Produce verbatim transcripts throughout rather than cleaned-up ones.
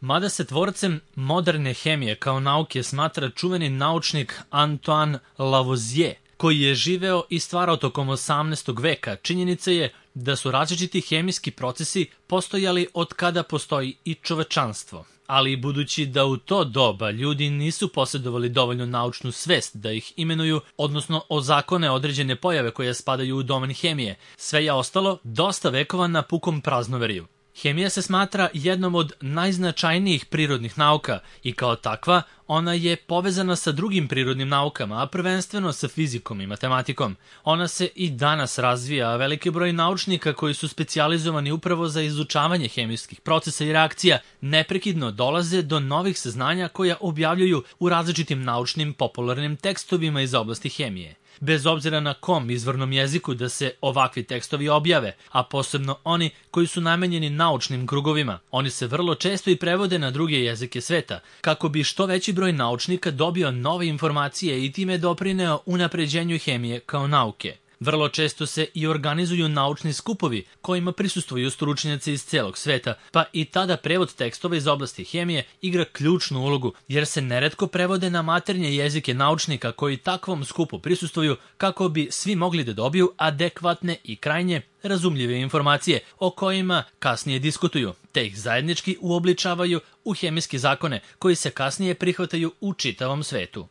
Mada se tvorcem moderne hemije kao nauke smatra čuveni naučnik Antoine Lavoisier, koji je živeo i stvarao tokom osamnaestog veka, činjenica je da su različiti hemijski procesi postojali od kada postoji i čovečanstvo. Ali budući da u to doba ljudi nisu posjedovali dovoljno naučnu svest da ih imenuju, odnosno ozakone određene pojave koje spadaju u domen hemije, sve je ostalo dosta vekova na pukom praznoveriju. Hemija se smatra jednom od najznačajnijih prirodnih nauka i kao takva ona je povezana sa drugim prirodnim naukama, a prvenstveno sa fizikom i matematikom. Ona se i danas razvija, a veliki broj naučnika koji su specijalizovani upravo za izučavanje hemijskih procesa i reakcija neprekidno dolaze do novih saznanja koja objavljuju u različitim naučnim popularnim tekstovima iz oblasti hemije. Bez obzira na kom izvornom jeziku da se ovakvi tekstovi objave, a posebno oni koji su namenjeni naučnim krugovima, oni se vrlo često i prevode na druge jezike sveta, kako bi što veći broj naučnika dobio nove informacije i time doprineo unapređenju hemije kao nauke. Vrlo često se i organizuju naučni skupovi kojima prisustvuju stručnjaci iz celog sveta, pa i tada prevod tekstova iz oblasti hemije igra ključnu ulogu, jer se neretko prevode na maternje jezike naučnika koji takvom skupu prisustvuju kako bi svi mogli da dobiju adekvatne i krajnje razumljive informacije o kojima kasnije diskutuju, te ih zajednički uobličavaju u hemijske zakone koji se kasnije prihvataju u čitavom svetu.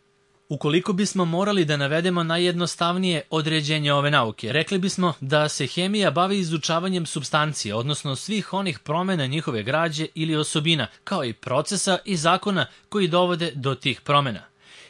Ukoliko bismo morali da navedemo najjednostavnije određenje ove nauke, rekli bismo da se hemija bavi izučavanjem supstancije, odnosno svih onih promena njihove građe ili osobina, kao i procesa i zakona koji dovode do tih promena.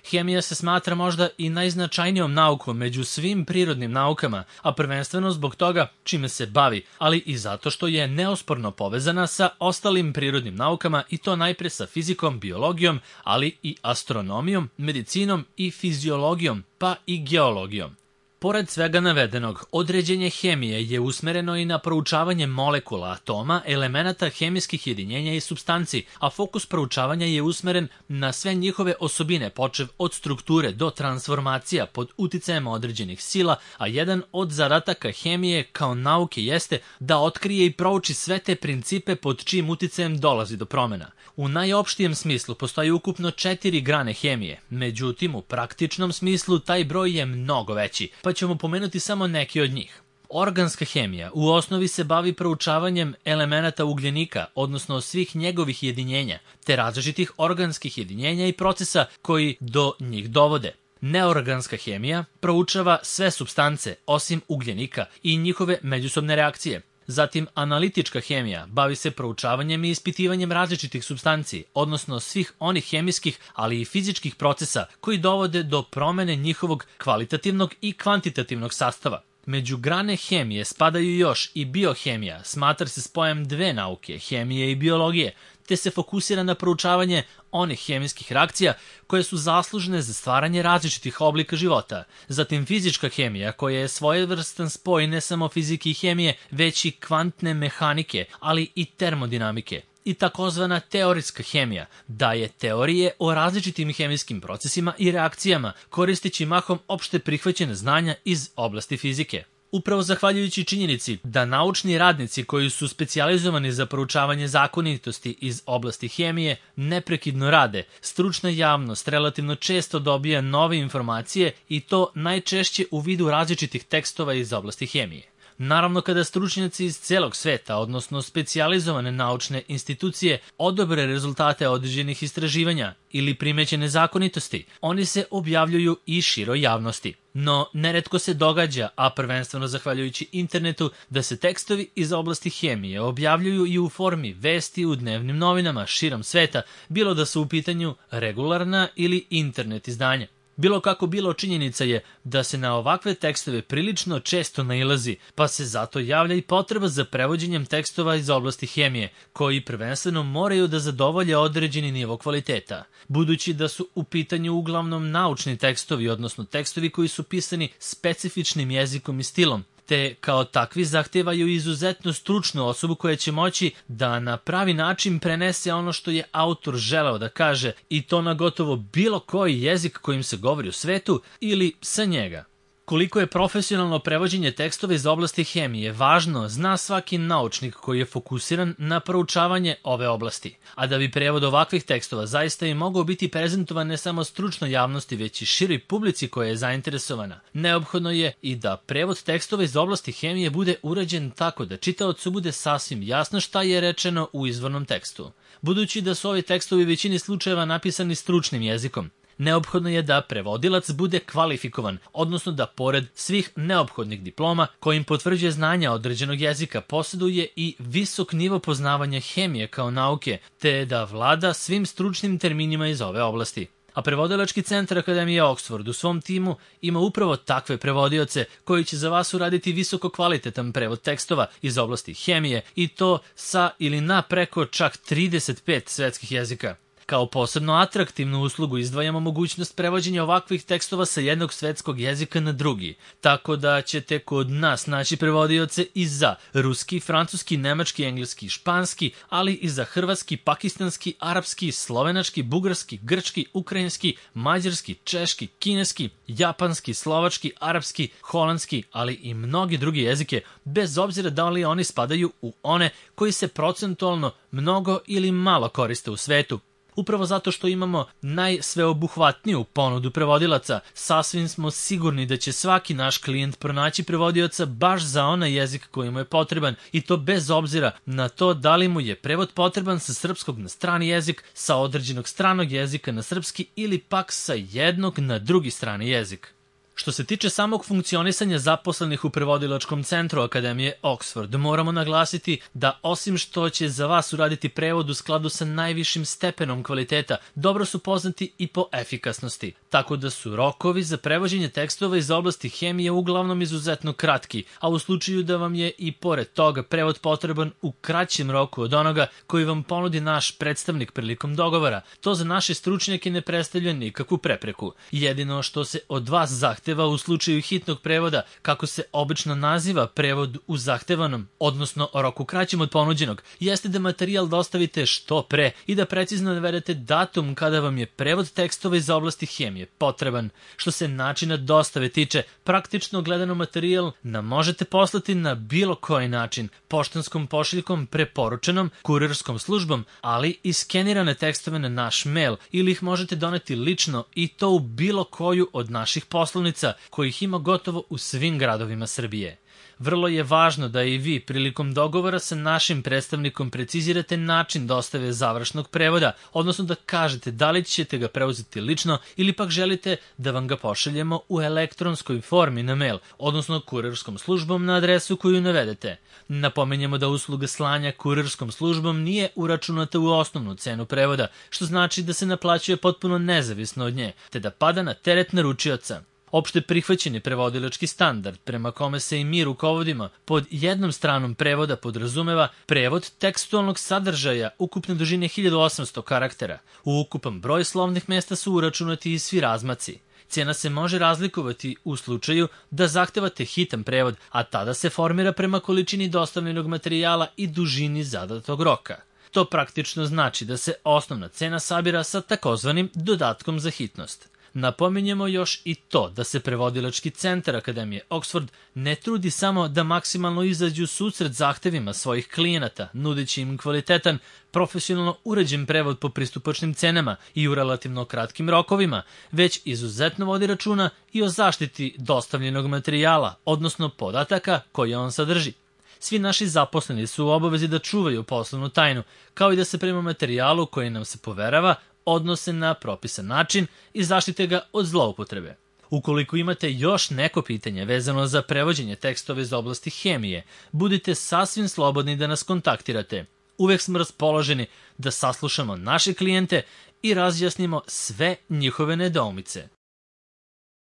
Hemija se smatra možda i najznačajnijom naukom među svim prirodnim naukama, a prvenstveno zbog toga čime se bavi, ali i zato što je neosporno povezana sa ostalim prirodnim naukama i to najpre sa fizikom, biologijom, ali i astronomijom, medicinom i fiziologijom, pa i geologijom. Pored svega navedenog, određenje hemije je usmereno i na proučavanje molekula, atoma, elemenata hemijskih jedinjenja i supstanci, a fokus proučavanja je usmeren na sve njihove osobine, počev od strukture do transformacija pod uticajem određenih sila, a jedan od zadataka hemije kao nauke jeste da otkrije i prouči sve te principe pod čijim uticajem dolazi do promena. U najopštijem smislu postoji ukupno četiri grane hemije, međutim u praktičnom smislu taj broj je mnogo veći, pa ćemo pomenuti samo neki od njih. Organska hemija u osnovi se bavi proučavanjem elemenata ugljenika, odnosno svih njegovih jedinjenja, te različitih organskih jedinjenja i procesa koji do njih dovode. Neorganska hemija proučava sve supstance osim ugljenika i njihove međusobne reakcije. Zatim, analitička hemija bavi se proučavanjem i ispitivanjem različitih supstanci, odnosno svih onih hemijskih, ali i fizičkih procesa koji dovode do promene njihovog kvalitativnog i kvantitativnog sastava. Među grane hemije spadaju još i biohemija, smatra se spojem dve nauke, hemije i biologije, te se fokusira na proučavanje onih hemijskih reakcija koje su zaslužne za stvaranje različitih oblika života. Zatim fizička hemija koja je svojevrstan spoj ne samo fizike i hemije, već i kvantne mehanike, ali i termodinamike. I takozvana teorijska hemija daje teorije o različitim hemijskim procesima i reakcijama, koristeći mahom opšte prihvaćene znanja iz oblasti fizike. Upravo zahvaljujući činjenici da naučni radnici koji su specijalizovani za proučavanje zakonitosti iz oblasti hemije neprekidno rade, stručna javnost relativno često dobija nove informacije i to najčešće u vidu različitih tekstova iz oblasti hemije. Naravno, kada stručnjaci iz celog sveta, odnosno specijalizovane naučne institucije, odobre rezultate određenih istraživanja ili primećene zakonitosti, oni se objavljuju i široj javnosti. No, neretko se događa, a prvenstveno zahvaljujući internetu, da se tekstovi iz oblasti hemije objavljuju i u formi vesti u dnevnim novinama širom sveta, bilo da su u pitanju regularna ili internet izdanja. Bilo kako bilo, činjenica je da se na ovakve tekstove prilično često nailazi, pa se zato javlja i potreba za prevođenjem tekstova iz oblasti hemije, koji prvenstveno moraju da zadovolje određeni nivo kvaliteta. Budući da su u pitanju uglavnom naučni tekstovi, odnosno tekstovi koji su pisani specifičnim jezikom i stilom, te kao takvi zahtevaju izuzetno stručnu osobu koja će moći da na pravi način prenese ono što je autor želeo da kaže i to na gotovo bilo koji jezik kojim se govori u svetu ili sa njega. Koliko je profesionalno prevođenje tekstova iz oblasti hemije važno, zna svaki naučnik koji je fokusiran na proučavanje ove oblasti. A da bi prevod ovakvih tekstova zaista i mogao biti prezentovan ne samo stručnoj javnosti, već i široj publici koja je zainteresovana, neophodno je i da prevod tekstova iz oblasti hemije bude urađen tako da čitaocu bude sasvim jasno šta je rečeno u izvornom tekstu. Budući da su ovi tekstovi u većini slučajeva napisani stručnim jezikom, neophodno je da prevodilac bude kvalifikovan, odnosno da pored svih neophodnih diploma kojim potvrđuje znanja određenog jezika posjeduje i visok nivo poznavanja hemije kao nauke, te da vlada svim stručnim terminima iz ove oblasti. A prevodilački centar Akademije Oxford u svom timu ima upravo takve prevodioce koji će za vas uraditi visoko kvalitetan prevod tekstova iz oblasti hemije i to sa ili na preko čak trideset pet svetskih jezika. Kao posebno atraktivnu uslugu izdvajamo mogućnost prevođenja ovakvih tekstova sa jednog svetskog jezika na drugi, tako da ćete kod nas naći prevodioce i za ruski, francuski, nemački, engleski, španski, ali i za hrvatski, pakistanski, arapski, slovenački, bugarski, grčki, ukrajinski, mađarski, češki, kineski, japanski, slovački, arapski, holandski, ali i mnogi drugi jezike, bez obzira da li oni spadaju u one koji se procentualno mnogo ili malo koriste u svetu. Upravo zato što imamo najsveobuhvatniju ponudu prevodilaca, sasvim smo sigurni da će svaki naš klijent pronaći prevodioca baš za onaj jezik koji mu je potreban i to bez obzira na to da li mu je prevod potreban sa srpskog na strani jezik, sa određenog stranog jezika na srpski ili pak sa jednog na drugi strani jezik. Što se tiče samog funkcionisanja zaposlenih u prevodilačkom centru Akademije Oxford, moramo naglasiti da osim što će za vas uraditi prevod u skladu sa najvišim stepenom kvaliteta, dobro su poznati i po efikasnosti, tako da su rokovi za prevođenje tekstova iz oblasti hemije uglavnom izuzetno kratki, a u slučaju da vam je i pored toga prevod potreban u kraćem roku od onoga koji vam ponudi naš predstavnik prilikom dogovora, to za naše stručnjake ne predstavlja nikakvu prepreku. Jedino što se od vas zahteva u slučaju hitnog prevoda, kako se obično naziva prevod u zahtevanom, odnosno roku kraćem od ponuđenog, jeste da materijal dostavite što pre i da precizno navedete datum kada vam je prevod tekstova iz oblasti hemije potreban. Što se načina dostave tiče, praktično gledano materijal nam možete poslati na bilo koji način, poštanskom pošiljkom, preporučenom, kurirskom službom, ali i skenirane tekstove na naš mail ili ih možete doneti lično i to u bilo koju od naših poslovnica kojih ima gotovo u svim gradovima Srbije. Vrlo je važno da i vi prilikom dogovora sa našim predstavnikom precizirate način dostave završnog prevoda, odnosno da kažete da li ćete ga preuzeti lično ili pak želite da vam ga pošaljemo u elektronskoj formi na mail, odnosno kurirskom službom na adresu koju navedete. Napominjemo da usluga slanja kurirskom službom nije uračunata u osnovnu cenu prevoda, što znači da se naplaćuje potpuno nezavisno od nje, te da pada na teret naručioca. Opšte prihvaćeni prevodilački standard, prema kome se i mi rukovodimo, pod jednom stranom prevoda podrazumeva prevod tekstualnog sadržaja ukupne dužine hiljadu osamsto karaktera. U ukupan broj slovnih mesta su uračunati i svi razmaci. Cena se može razlikovati u slučaju da zahtevate hitan prevod, a tada se formira prema količini dostavljenog materijala i dužini zadatog roka. To praktično znači da se osnovna cena sabira sa takozvanim dodatkom za hitnost. Napominjemo još i to da se prevodilački centar Akademije Oxford ne trudi samo da maksimalno izađu susret zahtevima svojih klijenata, nudeći im kvalitetan, profesionalno uređen prevod po pristupačnim cenama i u relativno kratkim rokovima, već izuzetno vodi računa i o zaštiti dostavljenog materijala, odnosno podataka koje on sadrži. Svi naši zaposleni su u obavezi da čuvaju poslovnu tajnu, kao i da se prema materijalu koji nam se poverava odnose na propisan način i zaštite ga od zloupotrebe. Ukoliko imate još neko pitanje vezano za prevođenje tekstova iz oblasti hemije, budite sasvim slobodni da nas kontaktirate. Uvek smo raspoloženi da saslušamo naše klijente i razjasnimo sve njihove nedoumice.